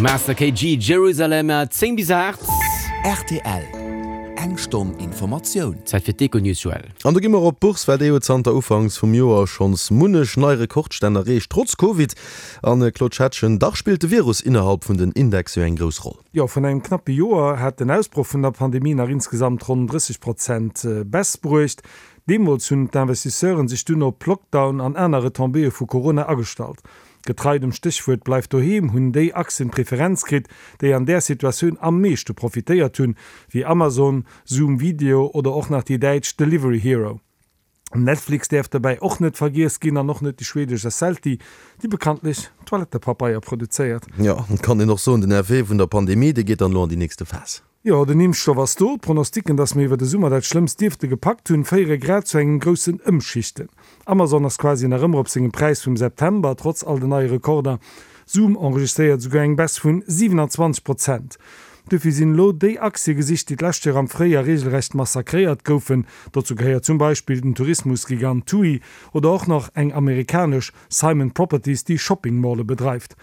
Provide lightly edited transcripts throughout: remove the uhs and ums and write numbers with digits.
Master KG, Jerusalem, 10 bis 8. Rtl, Eng Stonn Informatioun. Zäit fir d'Econews, Joël. An do gi mer op d'Bourse, well déi huet zanter Ufanks vum Joer schonns munnech nei Rekordstänn erreecht, trotz Covid. An, Claude Schettgen, dach spillt de Virus innerhalb vun den Indexe jo eng grouss Roll. Jo, vun engem knappe Joer hat den Ausbroch vun der Pandemie nach insgesamt ronn 30 Prozent Baisse bruecht. Deemools hunn d'Investisseuren sech dunn op Lockdown an aner Retombéeë vu Corona agestallt. Getrei dem Stéchwuert Bleif doheem hunn déi Aktien d'Preferenz kritt, déi an där Situatioun am meeschte profitéiert hunn, wéi Amazon, Zoom Video oder och nach déi däitsch Delivery Hero. Netflix däerf dobäi och net vergiess ginn an och net déi schwedesch Esselti, déi bekanntlech Toilettepapeier produzéiert. Jo, et kann een och soen, den Effet vun der Pandemie, dee geet dann elo an déi nächste Phas. Jo, den Impfstoff ass do. D'Pronosticken, dass mir iwwer de Summer dat Schlëmmst dierfte gepackt hunn, féiere grad zu engem groussen Ëmschichten. Amazon ass quasi nach ëmmer op sengem Präis vum September, trotz all den neie Rekorder. Zoom enregistréiert esouguer eng Baisse vun 27 Prozent. Dofir sinn elo déi Aktie gesicht, déi d'lescht Joer am Fréijoer reegelrecht massakréiert goufen. Dozou gehéiert zum Beispill den Tourismusgigant TUI oder och nach eng amerikanesch Simon Properties, déi Shopping-Malle bedreift.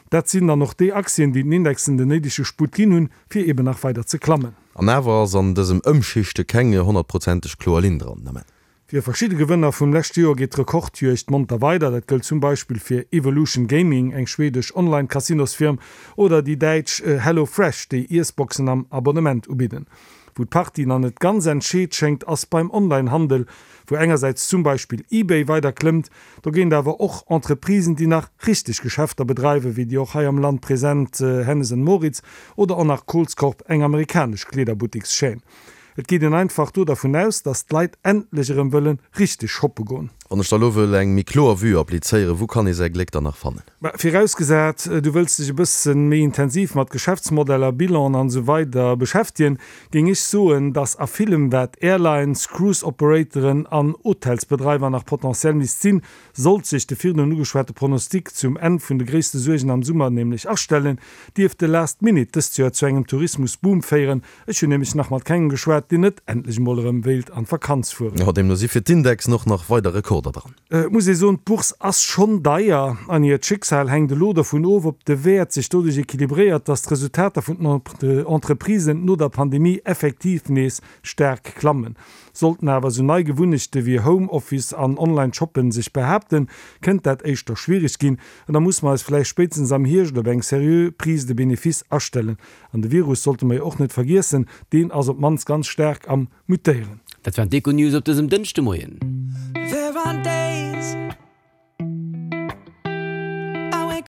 Dat sinn dann och déi Aktien, déi den Indexen den néidege Sputt ginn hunn, fir eben nach weider ze klammen. An awer ass an dësem Ëmschichte keng honnertprozenteg kloer Linn dran den Ament. Fir verschidde Gewënner vum leschte Joer geet d'Rekordjuegd monter weider. Dat gëllt zum Beispill fir Evolution Gaming, eng schwedesch Online-Casinosfirm, oder déi däitsch Hello Fresh, déi Iessboxen am Abonnement ubidden. Wou d'Partie nach net ganz entscheet schéngt, ass beim Online-Handel, wou engersäits zum Beispill eBay weider klëmmt, dogéint awer och Entreprisen, déi nach richteg Geschäfter bedreiwen, wéi déi och hei am Land present Hennes and Mauritz oder och nach Kohl's Corp, eng amerikanesch Kleederbuttikschaîne. Et geet een einfach do dervun aus, datt d'Leit endlech erëm wëlle richteg shoppe goen. Wann ech da lo wëll eng méi kloer Vue applizéieren, wou kann ee säi Gléck dann nach fannen? Mä virausgesat, du wëlls dech e bëssen méi intensiv mat Geschäftsmodeller, Bilanen an esou weider beschäftegen, géing ech soen, dass a villem wat Airlines, Cruise Operatoren an Hotelsbedreiwer nach potentiell misst sinn, sollt sech de virdrun ugeschwate Pronostic zum Enn vun de gréisste Suergen am Summer nämlech astellen, dierft de Last Minute dëst Joer zu engem Tourismusboom féieren. Ech hunn nämlech nach mat kengem geschwat, deen net endlech emol erëm wéilt an d'Vakanz fueren. Jo, deemno si fir d'Indexen och nach weider Rekorder dran. Et muss ee soen, d'Bourse ass schonn deier an hiert Schicksal hänkt elo dovun of, ob de Wäert sech doduerch equilibréiert, datt d'Resultater vun den Entreprisen no der Pandemie effektiv nees staark klammen. Sollten awer esou nei Gewunnechte wéi Home Office an Online-Shoppen sech behaapten, kënnt dat éischter schwiereg ginn an da musse mer eis vläicht spéitstens am Hierscht op eng seriö Prise de bénéfice astellen. An de Virus sollte mer jo och net vergiessen, deen ass op d'mannst ganz staark am Mutéieren. Dat waren d'Econews op dësem Dënschdemoien.